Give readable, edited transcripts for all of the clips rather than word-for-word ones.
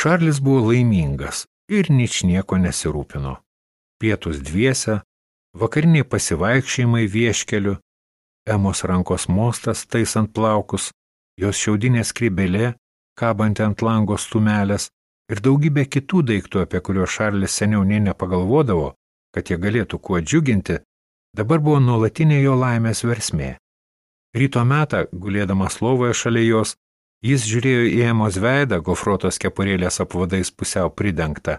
Šarlis buvo laimingas ir ničnieko nesirūpino. Pietus dviese, vakariniai pasivaikščiojimai vieškeliu, Emos rankos mostas taisant plaukus, jos šiaudinė skrybėlė, kabanti ant lango stumelės ir daugybė kitų daiktų, apie kuriuos Šarlis seniau nė nepagalvodavo, kad jie galėtų kuo džiuginti, dabar buvo nuolatinė jo laimės versmė. Ryto metą, gulėdamas lovoje šalia jos, jis žiūrėjo į Emos veidą, gofruotos kepurėlės apvadais pusiau pridengtą,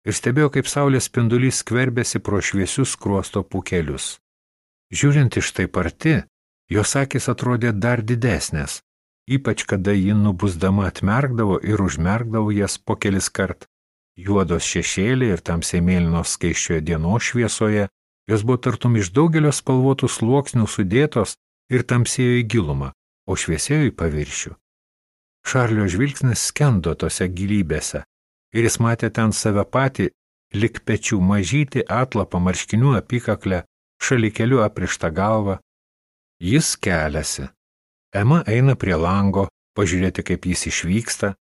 ir stebėjo, kaip saulės spindulys skverbėsi pro šviesius skruosto pūkelius. Žiūrint iš taip arti, jos akys atrodė dar didesnės, ypač kada ji nubusdama atmerkdavo ir užmerkdavo jas po kelis kart. Juodos šešėliai ir tamsiai mėlynos skaisčioje dienos šviesoje, jos buvo tartum iš daugelio spalvotų sluoksnių sudėtos ir tamsėjo į gilumą, o šviesėjo į paviršių. Šarlio žvilgsnis skendo tose gilybėse ir jis matė ten save patį, lik pečių mažytį atlapą marškinių apykaklę, šalikeliu aprištą galvą. Jis keliasi. Ema eina prie lango, pažiūrėti, kaip jis išvyksta,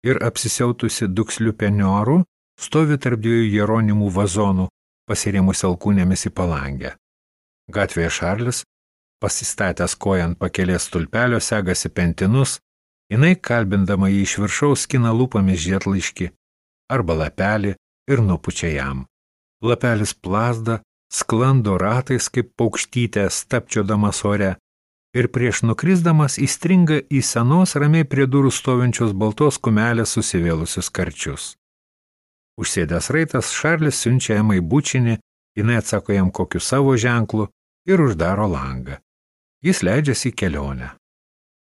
ir apsisiautusi duksliu penioru stovi tarp dviejų jeronimų vazonų, pasirėmus alkūnėmis į palangę. Gatvėje Šarlis, pasistatęs koją ant pakelės stulpelio, segasi pentinus, jinai, kalbindama jį iš viršaus, skina lūpomis žiedlaiškį arba lapelį ir nupučia jam. Lapelis plazda, sklando ratais kaip paukštytė, stapčiodamas ore, ir prieš nukrisdamas įstringa į senos ramiai prie durų stovinčios baltos kumelės susivėlusius karčius. Užsėdęs raitas, Šarlis siunčia Emai bučinį, jinai atsako jam kokiu savo ženklu ir uždaro langą. Jis leidžiasi į kelionę.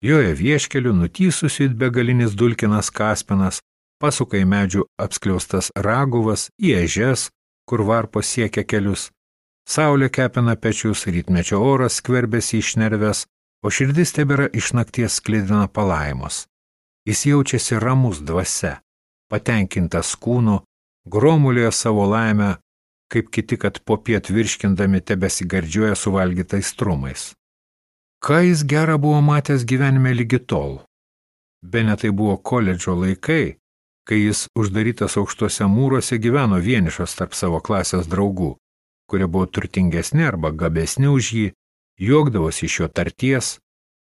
Joje vieškeliu nutysusiu it begalinis dulkinas kaspinas, pasuka į medžių apskliaustas raguvas, į ežes, kur varpos siekia kelius. Saulė kepina pečius, rytmečio oras skverbėsi iš nerves, o širdis tebėra iš nakties sklidina palaimos. Jis jaučiasi ramus dvasia, patenkintas kūnu, gromulioje savo laimę, kaip kiti, kad popiet virškindami tebesigardžiuoja suvalgytais trumais. Ką jis gerą buvo matęs gyvenime lygi tol? Bene tai buvo koledžo laikai, kai jis uždarytas aukštuose mūruose gyveno vienišas tarp savo klasės draugų, kurie buvo turtingesni arba gabesni už jį, juokdavosi iš jo tarties,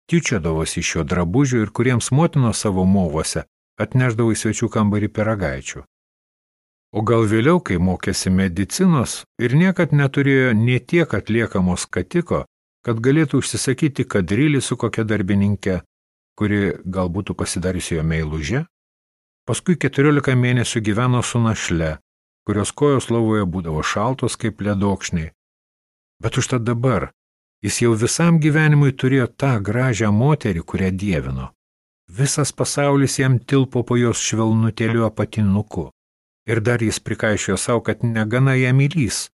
tyčiodavosi iš jo drabužių ir kuriems motinos savo movose atnešdavo į svečių kambarį pyragaičių. O gal vėliau, kai mokėsi medicinos ir niekad neturėjo nė tiek atliekamos skatiko, kad galėtų užsisakyti kadrilį su kokia darbininkė, kuri gal būtų pasidariusi jo meiluže, paskui 14 mėnesių gyveno su našle, kurios kojos lovoje būdavo šaltos kaip ledokšniai. Bet užtat dabar jis jau visam gyvenimui turėjo tą gražią moterį, kurią dievino. Visas pasaulis jam tilpo po jos švelnutėliu apatinuku. Ir dar jis prikaišiojo savo, kad negana ją mylys.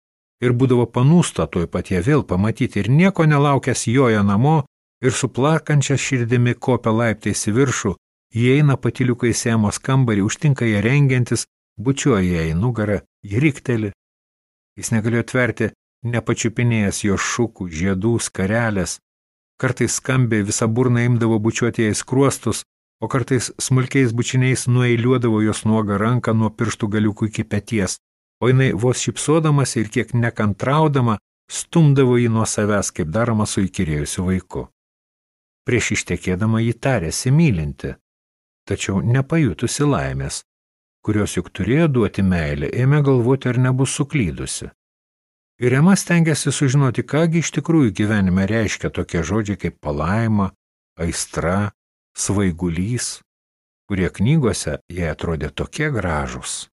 Ir būdavo panūsta tuoj pat ją vėl pamatyti ir nieko nelaukęs joja namo ir su plakančia širdimi kopia laiptais į viršų, įeina patyliukais Emos kambarį, užtinka ją rengiantis, bučiuoja ją į nugarą, ji rikteli. Jis negalėjo tverti, nepačiupinėjęs jo šukų, žiedų, skarelės. Kartais skambiai visą burną imdavo bučiuoti ją į skruostus, o kartais smulkiais bučiniais nueiliuodavo jos nuogą ranką nuo pirštų galiukų iki peties, o jinai vos šypsodamas ir kiek nekantraudama stumdavo jį nuo savęs, kaip daroma su įkyrėjusiu vaiku. Prieš ištekėdama jį tarėsi mylinti, tačiau nepajutusi laimės, kurios juk turėjo duoti meilę, ėmė galvoti, ar nebus suklydusi. Ir Ema stengėsi sužinoti, kągi iš tikrųjų gyvenime reiškia tokie žodžiai kaip palaima, aistra, svaigulys, kurie knygose jai atrodė tokie gražūs.